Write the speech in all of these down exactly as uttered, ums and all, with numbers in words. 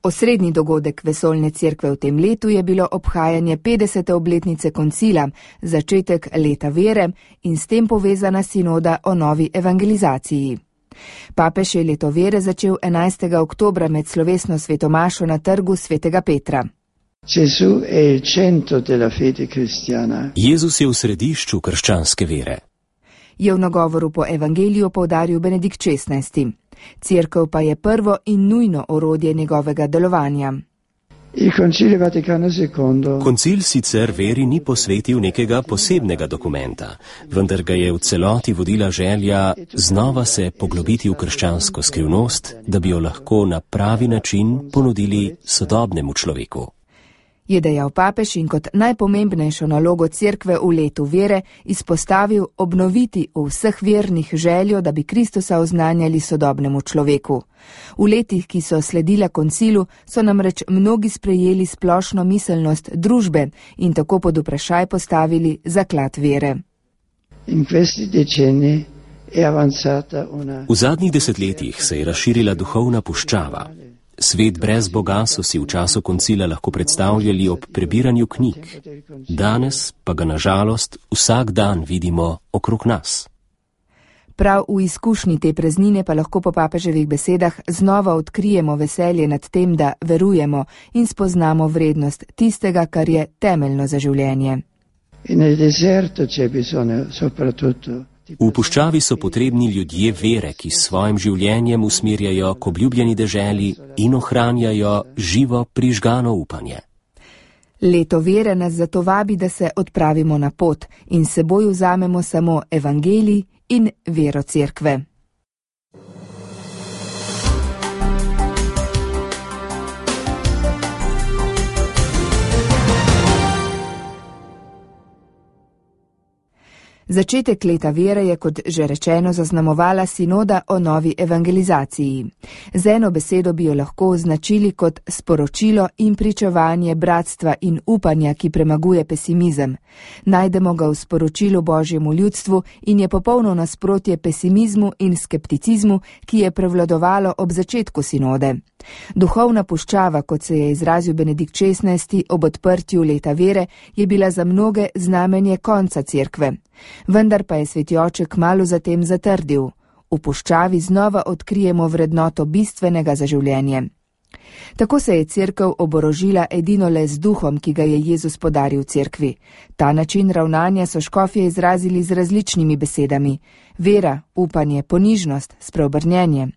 Osrednji dogodek vesoljne cerkve v tem letu je bilo obhajanje petdesete obletnice koncila, začetek leta vere in s tem povezana sinoda o novi evangelizaciji. Papež je leto vere začel enajstega oktobra med slovesno svetomašo na trgu svetega Petra. Jezus je v središču krščanske vere. Je v nagovoru po evangeliju poudaril Benedikt šestnajsti. Cerkev pa je prvo in nujno orodje njegovega delovanja. Koncil sicer veri ni posvetil nekega posebnega dokumenta, vendar ga je v celoti vodila želja znova se poglobiti v krščansko skrivnost, da bi jo lahko na pravi način ponudili sodobnemu človeku. Je dejal papež in kot najpomembnejšo nalogo cerkve v letu vere izpostavil obnoviti v vseh vernih željo, da bi Kristusa oznanjali sodobnemu človeku. V letih, ki so sledila koncilu, so namreč mnogi sprejeli splošno miselnost družbe in tako pod vprašaj postavili zaklad vere. V zadnjih desetletjih se je razširila duhovna puščava. Svet brez Boga so si v času koncila lahko predstavljali ob prebiranju knjig. Danes pa ga na žalost vsak dan vidimo okrog nas. Prav v izkušnji te praznine pa lahko po papeževih besedah znova odkrijemo veselje nad tem, da verujemo in spoznamo vrednost tistega, kar je temeljno za življenje. V puščavi so potrebni ljudje vere, ki s svojim življenjem usmerjajo k obljubljeni deželi in ohranjajo živo prižgano upanje. Leto vere nas zato vabi, da se odpravimo na pot in s seboj vzamemo samo evangelij in vero cerkve. Začetek leta vere je, kot že rečeno, zaznamovala sinoda o novi evangelizaciji. Z eno besedo bi jo lahko označili kot sporočilo in pričevanje bratstva in upanja, ki premaguje pesimizem. Najdemo ga v sporočilu Božjemu ljudstvu in je popolno nasprotje pesimizmu in skepticizmu, ki je prevladovalo ob začetku sinode. Duhovna puščava, kot se je izrazil Benedikt šestnajsti ob odprtju leta vere, je bila za mnoge znamenje konca cerkve. Vendar pa je sveti oče kmalu zatem zatrdil: v puščavi znova odkrijemo vrednoto bistvenega za življenje. Tako se je cerkev oborožila edino le z duhom, ki ga je Jezus podaril cerkvi. Ta način ravnanja so škofje izrazili z različnimi besedami: vera, upanje, ponižnost, spreobrnjenje.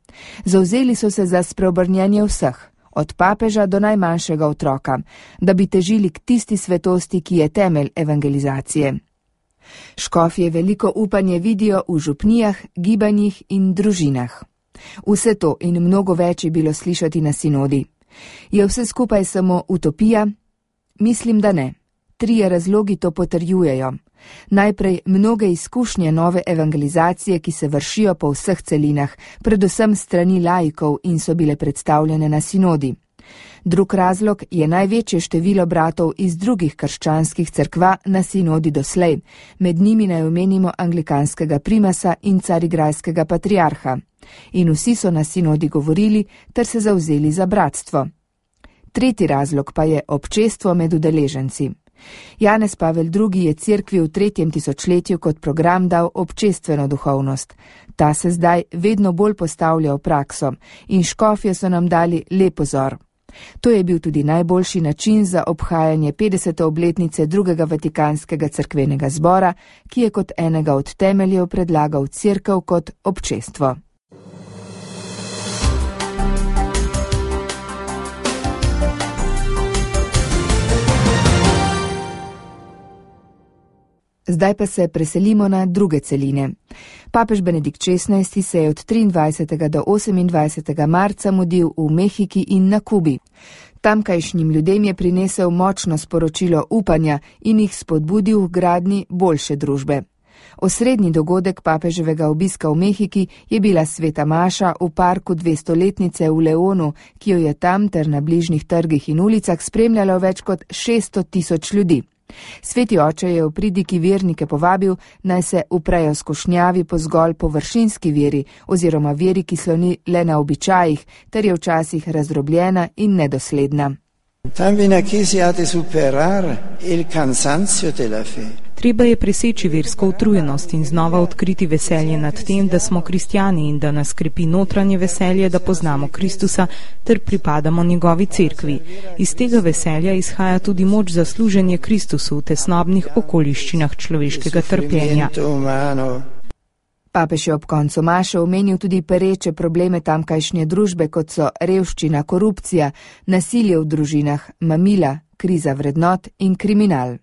Zavzeli so se za spreobrnjenje vseh, od papeža do najmanjšega otroka, da bi težili k tisti svetosti, ki je temelj evangelizacije. Škofje veliko upanje vidijo v župnijah, gibanjih in družinah. Vse to in mnogo več je bilo slišati na sinodi. Je vse skupaj samo utopija? Mislim, da ne. Trije razlogi to potrjujejo. Najprej mnoge izkušnje nove evangelizacije, ki se vršijo po vseh celinah, predvsem strani laikov in so bile predstavljene na sinodi. Drug razlog je največje število bratov iz drugih krščanskih cerkva na sinodi doslej, med njimi naj omenimo anglikanskega primasa in carigrajskega patriarha. In vsi so na sinodi govorili ter se zavzeli za bratstvo. Tretji razlog pa je občestvo med udeleženci. Janez Pavel drugi je cerkvi v tretjem tisočletju kot program dal občestveno duhovnost. Ta se zdaj vedno bolj postavlja v prakso in škofje so nam dali lep vzor. To je bil tudi najboljši način za obhajanje petdesete obletnice drugega Vatikanskega cerkvenega zbora, ki je kot enega od temeljev predlagal cerkev kot občestvo. Zdaj pa se preselimo na druge celine. Papež Benedikt šestnajsti se je od triindvajsetega do osemindvajsetega marca mudil v Mehiki in na Kubi. Tamkajšnjim ljudem je prinesel močno sporočilo upanja in jih spodbudil v gradnji boljše družbe. Osrednji dogodek papeževega obiska v Mehiki je bila sveta maša v parku dvestoletnice v Leonu, ki jo je tam ter na bližnjih trgih in ulicah spremljalo več kot šeststo tisoč ljudi. Sveti oče je v pridiki vernike povabil, naj se uprejo skušnjavi po zgolj površinski veri oziroma veri, ki sloni le na običajih, ter je včasih razdrobljena in nedosledna. Treba je preseči versko utrujenost in znova odkriti veselje nad tem, da smo kristjani in da nas krepi notranje veselje, da poznamo Kristusa ter pripadamo njegovi cerkvi. Iz tega veselja izhaja tudi moč za služenje Kristusu v tesnobnih okoliščinah človeškega trpljenja. Papež je ob koncu maše omenil tudi pereče probleme tamkajšnje družbe, kot so revščina, korupcija, nasilje v družinah, mamila, kriza vrednot in kriminal.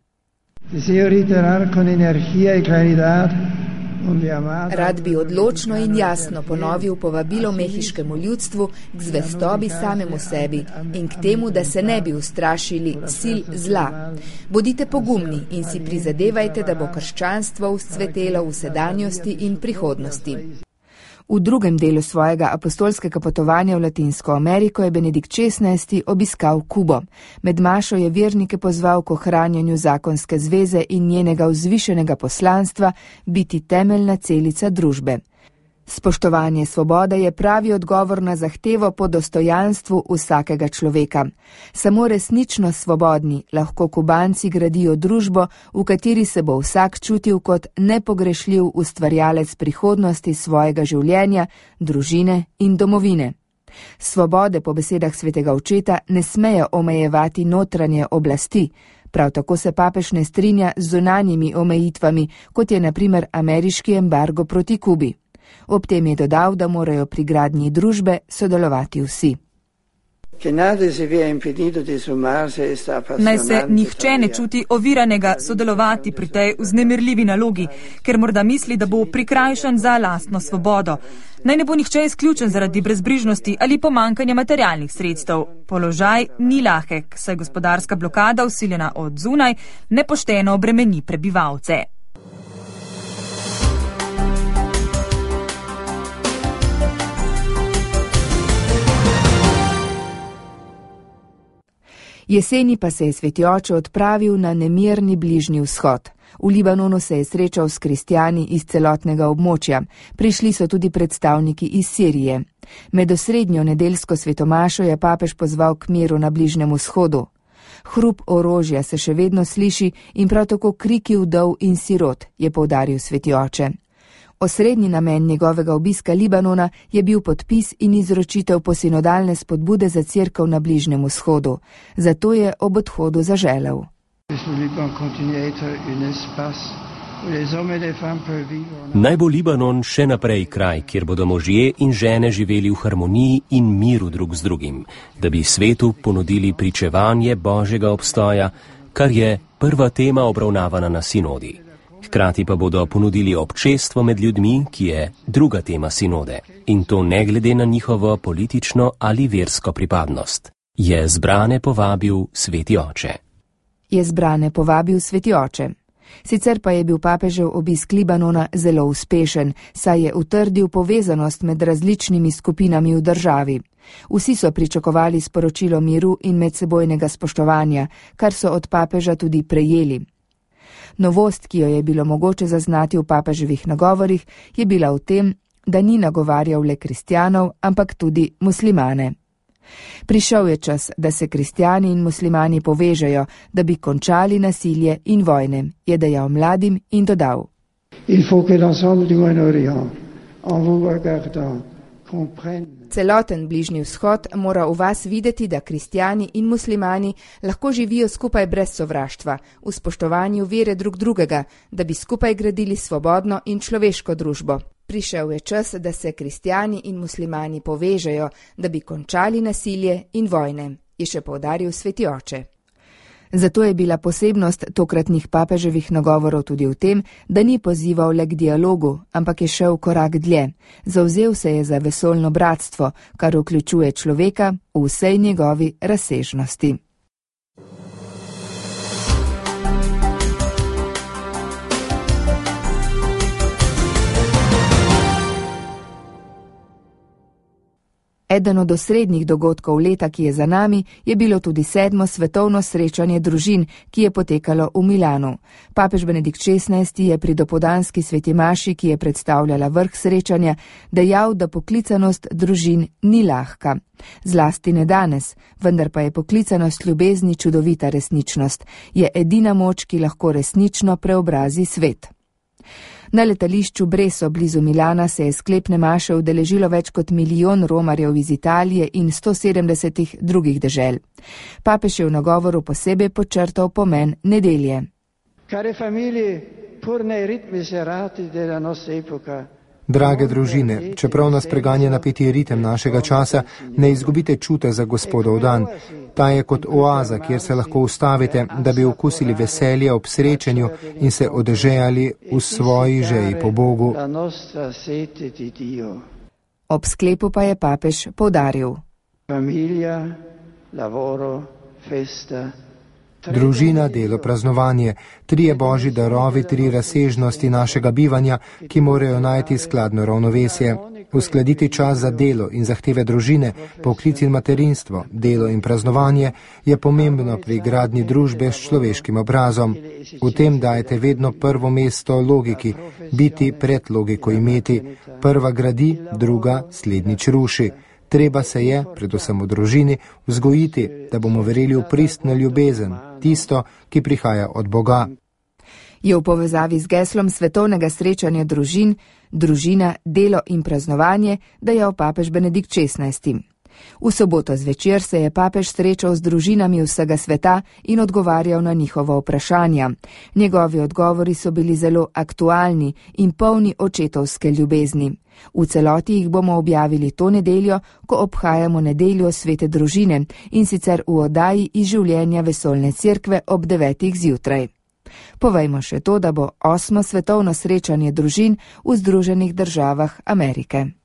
Rad bi odločno in jasno ponovil povabilo mehiškemu ljudstvu k zvestobi samemu sebi in k temu, da se ne bi ustrašili sil zla. Bodite pogumni in si prizadevajte, da bo krščanstvo vzcvetelo v sedanjosti in prihodnosti. V drugem delu svojega apostolskega potovanja v Latinsko Ameriko je Benedikt šestnajsti obiskal Kubo. Med mašo je vernike pozval k ohranjanju zakonske zveze in njenega vzvišenega poslanstva biti temeljna celica družbe. Spoštovanje svobode je pravi odgovor na zahtevo po dostojanstvu vsakega človeka. Samo resnično svobodni lahko Kubanci gradijo družbo, v kateri se bo vsak čutil kot nepogrešljiv ustvarjalec prihodnosti svojega življenja, družine in domovine. Svobode po besedah svetega očeta ne smejo omejevati notranje oblasti. Prav tako se papež ne strinja z zunanjimi omejitvami, kot je na primer ameriški embargo proti Kubi. Ob tem je dodal, da morajo pri gradnji družbe sodelovati vsi. Naj se nihče ne čuti oviranega sodelovati pri tej vznemirljivi nalogi, ker morda misli, da bo prikrajšan za lastno svobodo. Naj ne bo nihče izključen zaradi brezbrižnosti ali pomankanja materialnih sredstev. Položaj ni lahek, saj gospodarska blokada, vsiljena od zunaj, nepošteno obremeni prebivalce. Jeseni pa se je sveti oče odpravil na nemirni bližnji vzhod. V Libanonu se je srečal s kristjani iz celotnega območja. Prišli so tudi predstavniki iz Sirije. Med osrednjo nedeljsko svetomašo je papež pozval k miru na Bližnjem vzhodu. Hrup orožja se še vedno sliši in prav tako kriki vdov in sirot, je poudaril sveti oče. Osrednji namen njegovega obiska Libanona je bil podpis in izročitev posinodalne spodbude za cerkev na Bližnjem vzhodu. Zato je ob odhodu zaželel. Naj bo Libanon še naprej kraj, kjer bodo možje in žene živeli v harmoniji in miru drug z drugim, da bi svetu ponudili pričevanje Božjega obstoja, kar je prva tema obravnavana na sinodi. Hkrati pa bodo ponudili občestvo med ljudmi, ki je druga tema sinode, in to ne glede na njihovo politično ali versko pripadnost. Je zbrane povabil sveti oče. Je zbrane povabil sveti oče. Sicer pa je bil papežev obisk Libanona zelo uspešen, saj je utrdil povezanost med različnimi skupinami v državi. Vsi so pričakovali sporočilo miru in medsebojnega spoštovanja, kar so od papeža tudi prejeli. Novost, ki jo je bilo mogoče zaznati v papeževih nagovorih, je bila v tem, da ni nagovarjal le kristjanov, ampak tudi muslimane. Prišel je čas, da se kristjani in muslimani povežejo, da bi končali nasilje in vojne, je dejal mladim in dodal. Celoten Bližnji vzhod mora v vas videti, da kristjani in muslimani lahko živijo skupaj brez sovraštva, v spoštovanju vere drug drugega, da bi skupaj gradili svobodno in človeško družbo. Prišel je čas, da se kristjani in muslimani povežejo, da bi končali nasilje in vojne, je še poudaril sveti oče. Zato je bila posebnost tokratnih papeževih nagovorov tudi v tem, da ni pozival le k dialogu, ampak je šel korak dlje. Zavzel se je za vesoljno bratstvo, kar vključuje človeka v vsej njegovi razsežnosti. Eden od osrednjih dogodkov leta, ki je za nami, je bilo tudi sedmo svetovno srečanje družin, ki je potekalo v Milanu. Papež Benedikt šestnajsti je pri dopoldanski sveti maši, ki je predstavljala vrh srečanja, dejal, da poklicanost družin ni lahka. Zlasti ne danes, vendar pa je poklicanost ljubezni čudovita resničnost. Je edina moč, ki lahko resnično preobrazi svet. Na letališču Breso blizu Milana se je sklepne maše udeležilo več kot milijon romarjev iz Italije in sto sedemdesetih drugih dežel. Papež je v nagovoru posebej podčrtal pomen nedelje. Drage družine, čeprav nas preganja napeti ritem našega časa, ne izgubite čute za Gospodov dan. Ta je kot oaza, kjer se lahko ustavite, da bi okusili veselje ob srečanju in se odežejali v svoji žeji po Bogu. Ob sklepu pa je papež poudaril. Družina, delo, praznovanje, trije božji darovi, tri razsežnosti našega bivanja, ki morajo najti skladno ravnovesje. Uskladiti čas za delo in zahteve družine, poklic in materinstvo, delo in praznovanje je pomembno pri gradnji družbe s človeškim obrazom. V tem dajete vedno prvo mesto logiki, biti pred logiko imeti. Prva gradi, druga slednjič ruši. Treba se je, predvsem v družini, vzgojiti, da bomo verjeli v pristno ljubezen, tisto, ki prihaja od Boga. Je v povezavi z geslom svetovnega srečanja družin, družina, delo in praznovanje, dejal papež Benedikt šestnajsti. V soboto zvečer se je papež srečal z družinami vsega sveta in odgovarjal na njihova vprašanja. Njegovi odgovori so bili zelo aktualni in polni očetovske ljubezni. V celoti jih bomo objavili to nedeljo, ko obhajamo nedeljo svete družine, in sicer v oddaji iz življenja vesoljne cerkve ob devetih zjutraj. Povejmo še to, da bo osmo svetovno srečanje družin v Združenih državah Amerike.